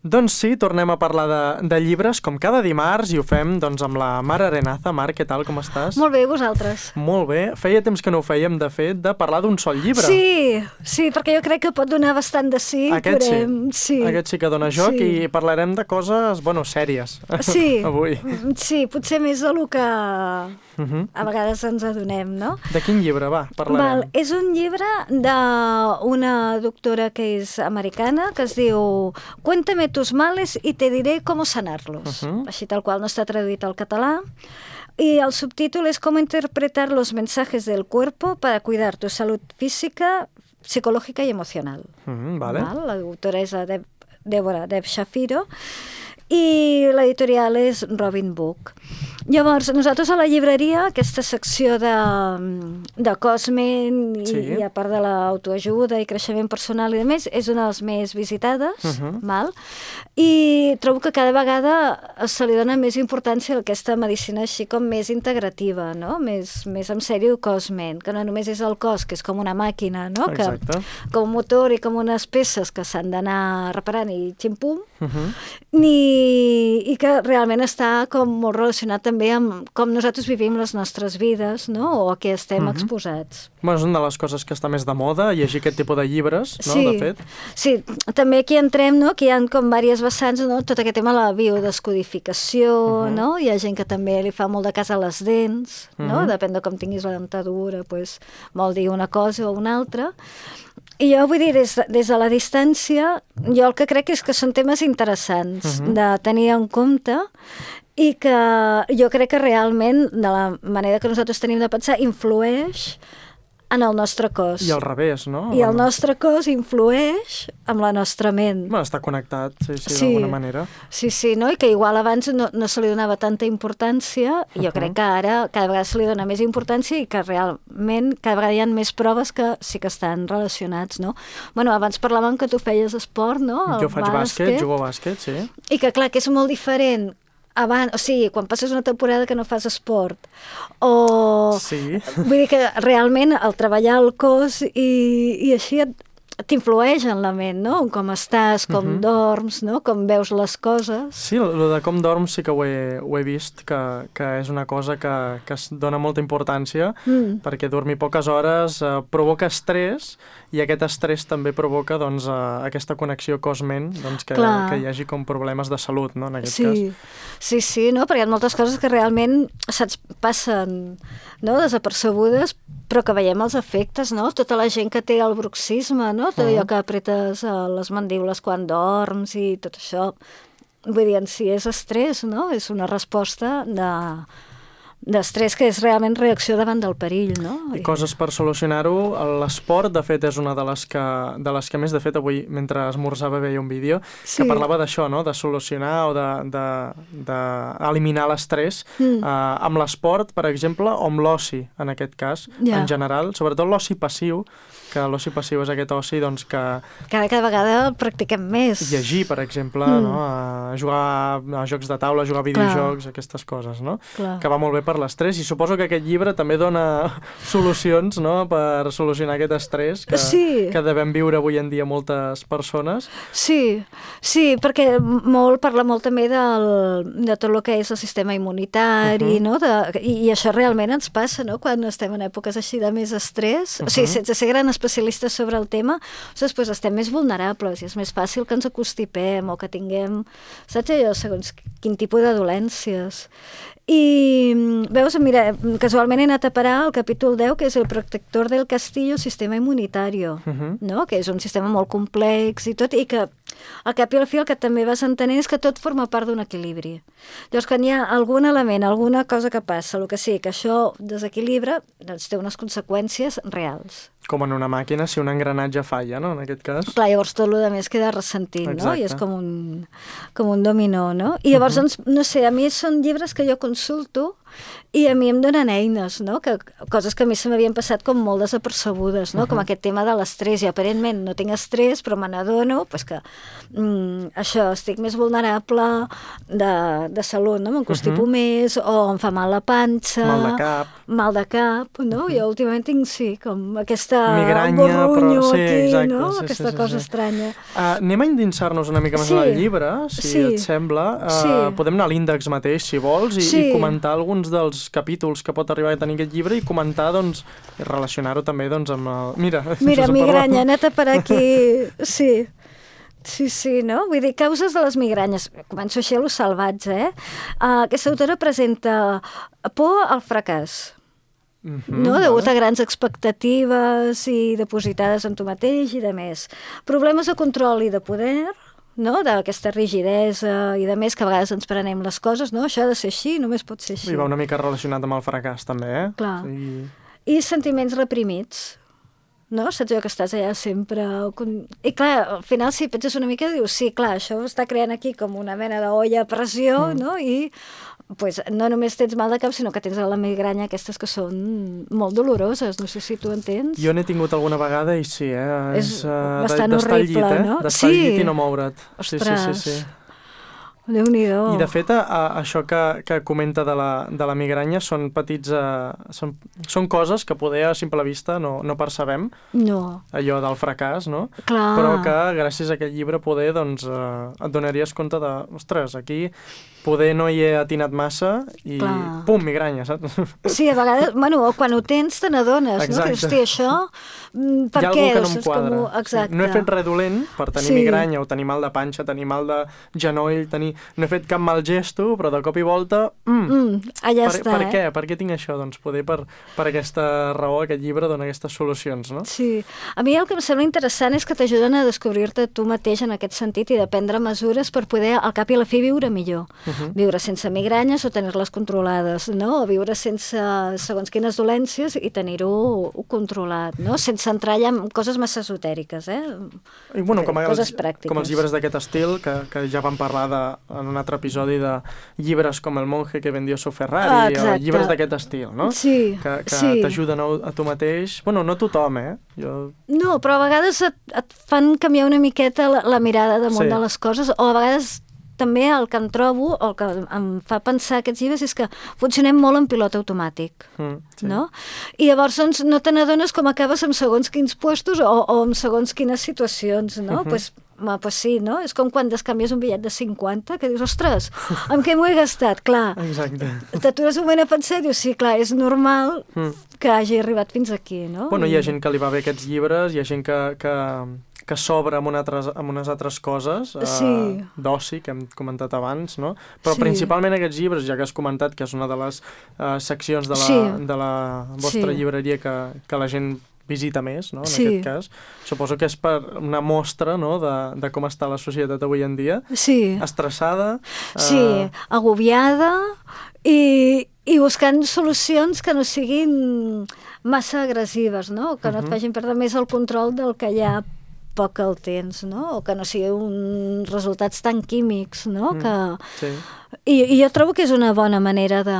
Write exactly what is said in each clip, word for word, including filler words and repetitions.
Doncs sí, tornem a parlar de, de llibres, com cada dimarts, i ho fem doncs, amb la Mar Arenaza. Mar, què tal, com estàs? Molt bé, vosaltres? Molt bé. Feia temps que no ho fèiem, de fet, de parlar d'un sol llibre. Sí, sí, perquè jo crec que pot donar bastant de sí. Aquest podem... sí. sí, aquest sí que dona joc sí. I parlarem de coses, bueno, sèries, sí. avui. Sí, potser més del que uh-huh. a vegades ens adonem, no? De quin llibre, va, parlarem? Val, és un llibre d'una doctora que és americana, que es diu Cuéntame tus males y te diré cómo sanarlos. Uh-huh. Així tal qual, no està traduït al català. Y el subtítulo es Cómo interpretar los mensajes del cuerpo para cuidar tu salud física, psicológica y emocional. Uh-huh, vale. Val? La doctora és Deb, Débora Deb Shapiro i l'editorial és Robin Book. Llavors, nosaltres a la llibreria, aquesta secció de, de Cosmen i, sí. i a part de l'autoajuda i creixement personal i demés, és una de les més visitades, uh-huh. val? I trobo que cada vegada se li dona més importància a aquesta medicina així com més integrativa, no? Més, més en sèrio Cosmen, que no només és el cos, que és com una màquina, no? Exacte. Que, com un motor i com unes peces que s'han d'anar reparant i ximpum, uh-huh. ni, i que realment està com molt relacionat també amb com nosaltres vivim les nostres vides, no? O a què estem uh-huh. exposats. Bueno, és una de les coses que està més de moda, llegir aquest tipus de llibres, no? Sí, de fet. Sí, també aquí entrem, no? Que hi ha com diverses vessants, no? Tot aquest tema de la biodescodificació, uh-huh. no? Hi ha gent que també li fa molt de cas a les dents, no? Uh-huh. Depèn de com tinguis la dentadura, pues, vol dir una cosa o una altra. I jo vull dir, des de, des de la distància, jo el que crec és que són temes interessants uh-huh. de tenir en compte i que jo crec que realment, de la manera que nosaltres tenim de pensar, influeix en el nostre cos. I al revés, no? I el nostre cos influeix amb la nostra ment. Bueno, està connectat, sí, sí, sí d'alguna manera. Sí, sí, no? I que igual abans no, no se li donava tanta importància, i jo uh-huh. crec que ara cada vegada se li dona més importància i que realment cada vegada hi ha més proves que sí que estan relacionats, no? Bueno, abans parlàvem que tu feies esport, no? El jo faig bàsquet, bàsquet, jugo a bàsquet, sí. I que clar, que és molt diferent abans, o sigui, quan passes una temporada que no fas esport, o... Sí. Vull dir que realment el treballar el cos i, i així et, t'influeix en la ment, no? Com estàs, com uh-huh. dorms, no? Com veus les coses. Sí, el de com dorms sí que ho he, ho he vist, que, que és una cosa que, que es dona molta importància, mm. perquè dormir poques hores eh, provoca estrès, i aquest estrès també provoca doncs, eh, aquesta connexió cos-ment, doncs, que, que hi hagi com problemes de salut, no? En aquest sí. cas. Sí, sí, no? Perquè hi ha moltes coses que realment saps, passen, no? Desapercebudes, però que veiem els efectes, no? Tota la gent que té el bruxisme, no? Tot allò que apretes les mandíbules quan dorms i tot això. Vull dir, en si és estrès, no? És una resposta de... d'estrès que és realment reacció davant del perill, no? I coses per solucionar-ho. L'esport, de fet, és una de les que, de les que més, de fet, avui, mentre esmorzava, veia un vídeo sí. que parlava d'això, no? De solucionar o d'eliminar de, de, l'estrès mm. eh, amb l'esport, per exemple, o amb l'oci, en aquest cas, yeah. en general. Sobretot l'oci passiu, que l'oci passiu és aquest oci doncs, que... Cada, cada vegada el practiquem més. Llegir, per exemple, mm. no? A jugar a jocs de taula, a jugar a videojocs, Clar. Aquestes coses, no? Clar. Que va molt bé per l'estrès, i suposo que aquest llibre també dona solucions, no?, per solucionar aquest estrès que, sí. que devem viure avui en dia moltes persones. Sí, sí, perquè molt parla molt també del, de tot el que és el sistema immunitari, uh-huh. no? De, i, i això realment ens passa, no?, quan estem en èpoques així de més estrès. Uh-huh. O sigui, sense ser gran especialistes sobre el tema, doncs estem més vulnerables i és més fàcil que ens acostipem o que tinguem, saps allò, segons quin tipus de dolències. I veus, mira, casualment he anat a parar al capítol deu, que és el protector del castillo sistema immunitario, uh-huh. no? Que és un sistema molt complex i tot, i que al cap i al fi el que també vas entenent és que tot forma part d'un equilibri. Llavors, quan hi ha algun element, alguna cosa que passa, el que sigui, que això desequilibra, doncs té unes conseqüències reals. Com en una màquina, si un engranatge falla, no?, en aquest cas. Clar, llavors tot el més queda ressentit, no? I és com un, com un dominó, no? I llavors, uh-huh. doncs, no sé, a mi són llibres que jo consulto i a mi em donen eines, no? Que, coses que a mi se m'havien passat com molt desapercebudes, no? Uh-huh. Com aquest tema de l'estrès, i aparentment no tinc estrès, però me n'adono pues, que mm, això, estic més vulnerable de, de salut, no? Em constipo uh-huh. més, o em fa mal la panxa... Mal de cap. Mal de cap, no? Uh-huh. Jo últimament tinc, sí, com aquesta... Migranya, borrunyo però... Sí, aquí, exacte, no? sí, Aquesta sí, sí, cosa sí. estranya. Uh, anem a endinsar-nos una mica més sí. en el llibre, si sí. et sembla. Uh, sí. Podem anar a l'índex mateix, si vols, i, sí. i comentar alguns dels capítols que pot arribar a tenir aquest llibre i comentar, doncs, i relacionar-ho també, doncs, amb el... Mira, Mira, migranya, anat a per aquí... Sí. Sí, sí, no? Vull dir, causes de les migranyes. Començo així a lo salvatge, eh? Uh, aquesta autora presenta por al fracàs. Mm-hmm, no? Degut vale. a grans expectatives i depositades en tu mateix i de més. Problemes de control i de poder, no? D'aquesta rigidesa i de més, que a vegades ens prenem les coses, no? Això ha de ser així, només pot ser així. I va una mica relacionat amb el fracàs, també, eh? Clar. Sí. I sentiments reprimits. No? Saps jo que estàs allà sempre... I clar, al final si penses una mica dius, sí, clar, això està creant aquí com una mena d'olla a pressió, mm. no? I pues, no només tens mal de cap, sinó que tens la migranya aquestes que són molt doloroses, no sé si tu entens. Jo n'he tingut alguna vegada i sí, eh? És, és uh, bastant d'estar horrible, al llit, eh? no? D'estar sí. al llit i no moure't. Ostres. Sí, sí, sí, sí. Déu-n'hi-do. I de fet, a, a, això que, que comenta de la, de la migranya són petits... Uh, són, són coses que poder a simple vista no, no percebem. No. Allò del fracàs, no? Clar. Però que gràcies a aquest llibre poder, doncs, uh, et donaries compte de... Ostres, aquí poder no hi he atinat massa i Clar. pum, migranya, saps? Sí, a vegades, bueno, quan ho tens te n'adones, no? Que hosti, això, per hi ha què? Hi ha que no em quadra. Com... Exacte. Sí. No he fet res dolent per tenir sí. migranya o tenir mal de panxa, tenir mal de genoll, tenir... no he fet cap mal gesto, però de cop i volta... Mm, mm, allà per, està, per eh? què? Per què tinc això? Doncs poder per, per aquesta raó aquest llibre dona aquestes solucions, no? Sí. A mi el que em sembla interessant és que t'ajuden a descobrir-te tu mateix en aquest sentit i de prendre mesures per poder al cap i a la fi viure millor. Uh-huh. Viure sense migranyes o tenir-les controlades, no? O viure sense segons quines dolències i tenir-ho controlat, no? Sense entrar ja en coses massa esotèriques, eh? I, bueno, com, coses els, pràctiques. Com els llibres d'aquest estil, que, que ja vam parlar de, en un altre episodi de llibres com El monje que vendió su Ferrari, ah, o llibres d'aquest estil, no? Sí, que que sí. t'ajuden a, a tu mateix. Bueno, no tothom, eh? Jo... No, però a vegades et, et fan canviar una miqueta la, la mirada damunt sí. de les coses, o a vegades també el que em trobo, o el que em fa pensar aquests llibres, és que funcionem molt en pilot automàtic, mm, sí. no? I llavors doncs, no te n'adones com acabes en segons quins puestos o, o en segons quines situacions, no? Uh-huh. Pues, ma, pues sí, no? És com quan descanvies un bitllet de cinquanta, que dius, ostres, amb què m'ho he gastat? Clar, exacte. T'atures un moment a pensar i dius, sí, clar, és normal mm. que hagi arribat fins aquí, no? Bueno, hi ha gent que li va bé aquests llibres, hi ha gent que... que... que s'obre amb, altres, amb unes altres coses, sí. uh, d'oci, que hem comentat abans, no? Però sí. principalment aquests llibres, ja que has comentat que és una de les uh, seccions de la, sí. de la vostra sí. llibreria que, que la gent visita més, no? En sí. aquest cas. Suposo que és per una mostra, no?, de, de com està la societat avui en dia. Sí. Estressada. Sí, uh... agobiada i, i buscant solucions que no siguin massa agressives, no? Que no uh-huh. et facin perdre més el control del que hi ha poc que el tens, no? O que no sigui uns resultats tan químics, no? Mm, que... sí. I, I jo trobo que és una bona manera de,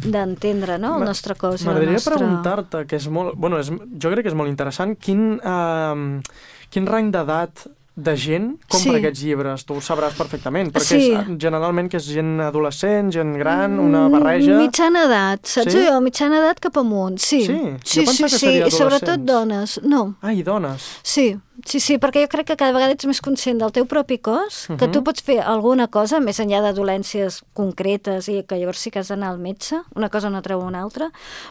d'entendre, no? El nostre cos. M'agradaria nostre... preguntar-te, que és molt... Bueno, és, jo crec que és molt interessant, quin, uh, quin rang d'edat de gent compra sí. aquests llibres, tu ho sabràs perfectament, perquè sí. és, generalment que és gent adolescent, gent gran, una barreja... Mitjana edat, saps sí? jo? Mitjana edat cap amunt, sí. Sí? Sí, jo sí, sí, i sobretot dones, no. Ah, i dones? Sí. Sí, sí, perquè jo crec que cada vegada ets més conscient del teu propi cos, uh-huh. que tu pots fer alguna cosa, més enllà de dolències concretes i que llavors sí que has d'anar al metge, una cosa no treu una altra,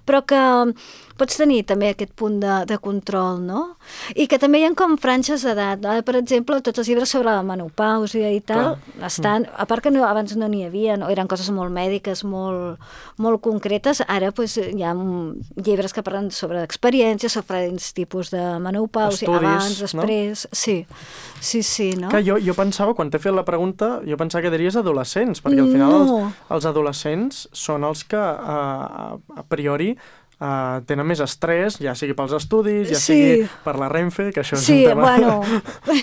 però que pots tenir també aquest punt de, de control, no? I que també hi ha com franges d'edat. No? Per exemple, tots els llibres sobre la menopàusia i tal, Clar. estan, a part que no, abans no n'hi havia, no? Eren coses molt mèdiques, molt, molt concretes, ara pues, hi ha llibres que parlen sobre experiències, sobre diferents tipus de menopàusia, Estudis, abans, després, no? sí, sí, sí, no? Que jo, jo pensava, quan t'he fet la pregunta, jo pensava que diries adolescents, perquè al final no. els, els adolescents són els que a, a priori uh, tenen més estrès, ja sigui pels estudis, ja sí. sigui per la Renfe, que això és sí, un tema... Bueno,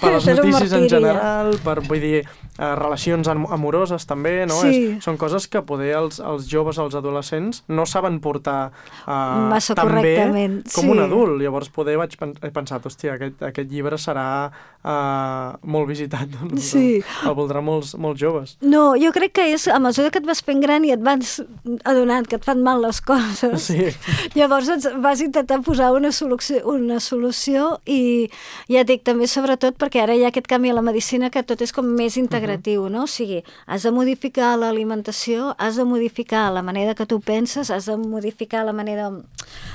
per les notícies en general, per, vull dir, uh, relacions amoroses també, no? Sí. És, són coses que poder els, els joves, els adolescents, no saben portar uh, massa tan bé com sí. un adult. Llavors poder vaig pen he pensat, hòstia, aquest, aquest llibre serà uh, molt visitat, doncs, sí. el voldrà molts, molts joves. No, jo crec que és a mesura que et vas fent gran i et vas adonant que et fan mal les coses, sí. llavors et vas intentar posar una solució, una solució i ja et dic també sobretot perquè ara hi ha aquest canvi a la medicina que tot és com més integratiu, uh -huh. no? O sigui, has de modificar l'alimentació, has de modificar la manera que tu penses, has de modificar la manera,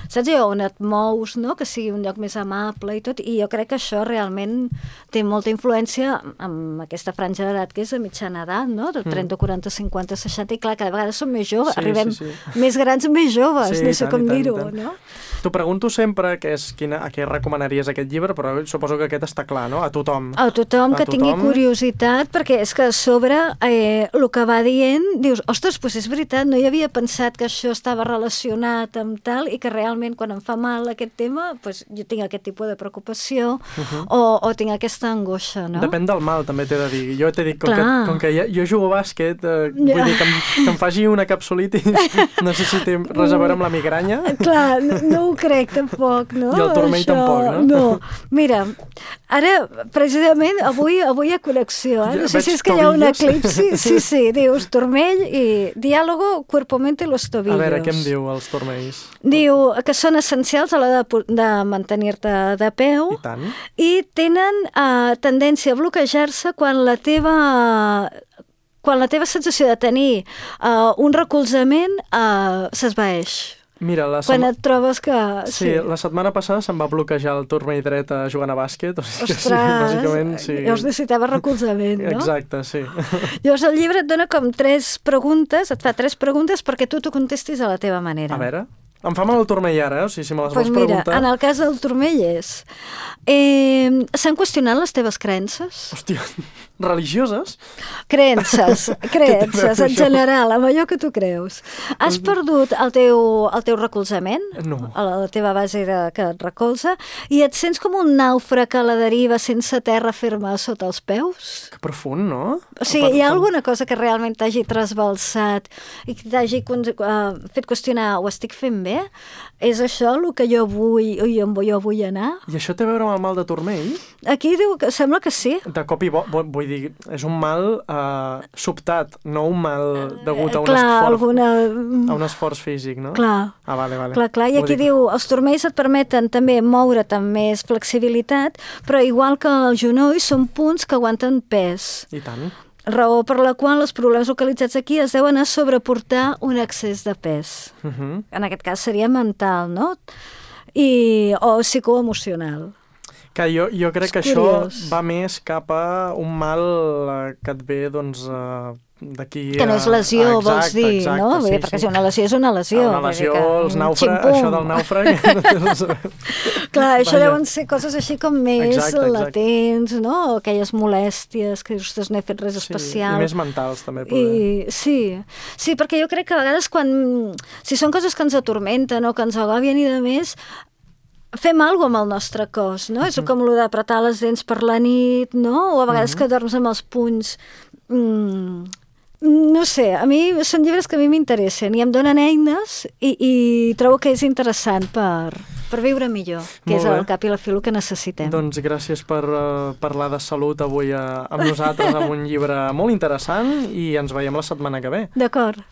saps jo, on et mous, no? Que sigui un lloc més amable i tot, i jo crec que això realment té molta influència amb aquesta franja d'edat que és de mitjana edat, no? De trenta, quaranta, cinquanta, seixanta, i clar, cada vegada som més joves, sí, arribem sí, sí. més grans, més joves, sí, no sé tant, com dir-ho, no? T'ho pregunto sempre que és quina, a què recomanaries aquest llibre, però suposo que aquest està clar, no? A tothom. A tothom a que tothom. tingui curiositat, perquè és que a sobre eh, el que va dient, dius, ostres, doncs és veritat, no hi havia pensat que això estava relacionat amb tal, i que realment quan em fa mal aquest tema, doncs jo tinc aquest tipus de preocupació uh -huh. o, o tinc aquesta angoixa, no? Depèn del mal, també t'he de dir. Jo t'he dit, com Clar. que, com que ja, jo jugo a bàsquet, eh, ja. vull dir que em, que em faci una capsulitis, no sé si té res a veure amb la migranya. Clar, no, no ho crec tampoc, no? I el turmell això, tampoc, no? No, mira, ara, precisament, avui, avui hi ha connexió, eh? No sé si és que hi ha un eclipsi, sí, sí, dius turmell i diàlogo, cuerpo, mente y los tobillos. A veure, què em diu els turmells? Diu que són essencials a l'hora de, de mantenir-te de peu. I tant. I tenen uh, tendència a bloquejar-se quan la teva... quan la teva sensació de tenir uh, un recolzament uh, s'esvaeix. Mira, la quan et trobes que... Sí, sí, la setmana passada se'm va bloquejar el turmell dret jugant a bàsquet. O sigui, ostres, sí, bàsicament, sí. Llavors necessitava recolzament, no? Exacte, sí. Llavors el llibre et dona com tres preguntes, et fa tres preguntes perquè tu t'ho contestis a la teva manera. A veure... Em fa mal el turmell ara, eh? O sigui, si me les pues vols mira, preguntar... en el cas del turmell és... Eh, S'han qüestionat les teves creences? Hòstia, religioses? Creences, creences, en general, amb allò que tu creus. Has perdut el teu, el teu recolzament? No. A la teva base de, que et recolza? I et sents com un nàufrag a la deriva sense terra ferma sota els peus? Que profund, no? O sigui, hi ha alguna cosa que realment t'hagi trasbalsat i que t'hagi uh, fet qüestionar, ho estic fent bé? És això el que jo vull i on jo vull anar? I això té a veure amb el mal de turmell? Aquí diu que sembla que sí. De cop i bo, vull dir, és un mal uh, sobtat, no un mal degut a un, clar, esforç, alguna... a un esforç físic, no? Clar. Ah, vale, vale. Clar, clar. I aquí diu, els turmells et permeten també moure't amb més flexibilitat, però igual que els genolls són punts que aguanten pes. I tant. Raó per la qual els problemes localitzats aquí es deuen a sobreportar un excés de pes. Uh -huh. En aquest cas seria mental, no? I, o psicoemocional. Que jo, jo crec és que curiós. Això va més cap a un mal que et ve, doncs, uh, d'aquí... Que no és lesió, ah, exacte, vols dir, exacte, no? Sí, perquè sí. si una lesió és una lesió. Una lesió, que, els nàufrags, ximpum. això del nàufrag... no té res a veure. Clar, això Vaja. deuen ser coses així com més exacte, exacte. latents, no? Aquelles molèsties que dius, no he fet res sí, especial. I més mentals, també. Poder. I, sí. sí, perquè jo crec que a vegades quan... Si són coses que ens atormenten o que ens agòbien i de més, fem alguna cosa amb el nostre cos, no? Uh -huh. És com el d'apretar les dents per la nit, no? O a vegades uh -huh. que dorms amb els punys... Mm, no sé, a mi són llibres que a mi m'interessen i em donen eines i, i trobo que és interessant per, per viure millor, que Molt és bé. al cap i a la fi el que necessitem. Doncs gràcies per uh, parlar de salut avui uh, amb nosaltres amb un llibre molt interessant i ens veiem la setmana que ve. D'acord.